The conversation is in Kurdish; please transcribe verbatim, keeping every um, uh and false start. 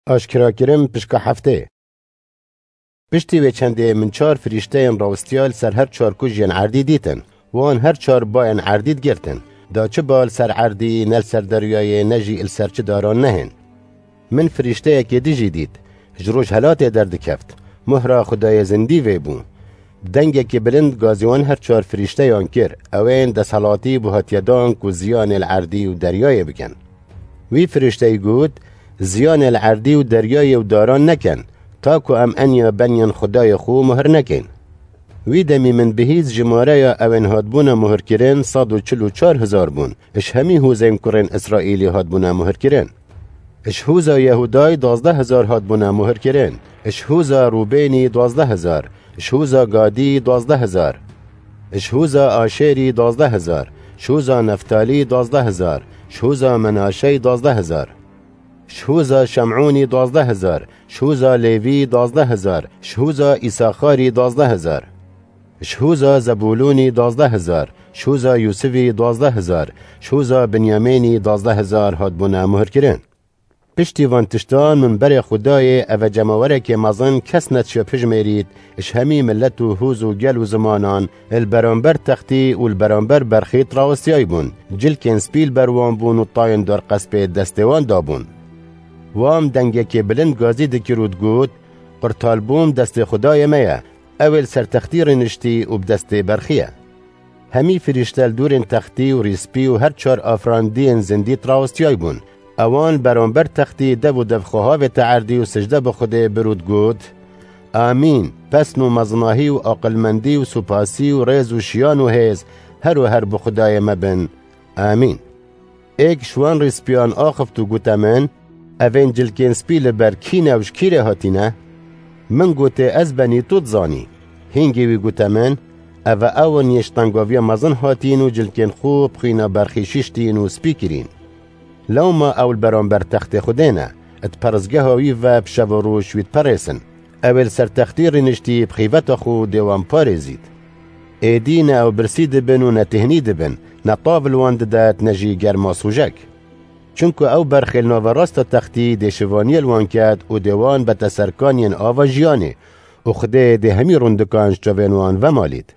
Aşkerakirin pişka heftê. Piştî wê çendê min çar firîşteyên rawestiya li ser her çar kujiyên erdî dîtin. Wan her çar bayên erdî digirtin. Da çi ba li ser erdî, ne li ser deryayê, ne jî li ser çi daran nehên. Min firîşteyekê din jî dît. Ji rojhelatê derdikeft. Mohra Xwedayê zindî vê bû. Bi dengekî bilind gazî wan her çar firîşteyan kir. Ew ên desthilatî bû hatiye dan ku ziyanê li erdî û deryayê bikin. Wî firîşteyî got, Ziyanê li erdî û deryayê û daran nekin, ta ku em eniya beniyên Xwedayê xwe mohr nekin. Wî demî min bihîst jimareya ew ên hatbûne mohirkirin sed û çil û çar hezar bûn, ji hemî hûzên kurên Îsraîlî hatbûne mohirkirin. Ji hûza Yehûdayî duwazdeh hezar hatbûne mohirkirin, ji hûza Rûbênî duwazdeh hezar, ji hûza Gadî duwazdeh hezar, ji hûza Aşêrî duwazdeh hezar, ji hûza Neftalî duwazdeh hezar, ji hûza Menaşeyî duwazdeh hezar, ji hûza Şemûnî duwazdeh hezar, ji hûza Lêvî duwazdeh hezar, ji hûza Îsaxarî duwazdeh hezar, ji hûza Zebûlûnî duwazdeh hezar, ji hûza Yûsifî duwazdeh hezar, ji hûza Binyamînî duwazdeh hezar hatbûne mohirkirin. Piştî van tiştan min berê Xwedayê eve cemawerekê mezin kes nediçe pijmêrît, ji hemî milet û hûz û gel û zimanan li beramber textî û li beramber berxî rawestiyayî bûn. Cilkên spî li ber wan bûn û tayên dorqespê destê wan dabûn. Wan dengekê bilind gazî dikir û digot, Qurtalbûn destê Xwedayê me ye, ew ê li ser textî rêniştî û bi destê berxî ye. Hemî firîşte li dûrên textî û rîspî û her çar afirandiyên zindî rawestiyayî bûn. Ewan beramber textî dev û dev xwe havête erdî û sicde bi Xwedê bir û digot, Amîn, pesn û mezinahî û aqilmendî û supasî û rêz û şiyan û hêz her û her bi Xwedayê me bin. Amîn. Êk ji wan rîspiyan axift û gote min, Evên cilkên spî li ber kî ne û ji kî re hatîne? Min gotê, Ez benî tu dizanî. Hîngê wî gote min, Eve ew in yê ji tengaviya mezin hatîn û cilkên xwe bi xwîna berxî şiştîn û spî kirîn. Lewma ew li beramber textê Xwedê ne, di peristgeha wî ve bi şev û roj wî diperêsin. Ew ê li ser textî rêniştî bi xîveta xwe dê wan parêzît. Êdî ne ew birsî dibin û ne têhnî dibin, ne tav li wan didet ne jî germa sûcek. Çunku ew berxê li naverasta textî dê şivaniyê li wan ket û dê wan bete ser kaniyên ava jiyanê û Xwedê dê hemî rundikan ji çavên wan vemalît.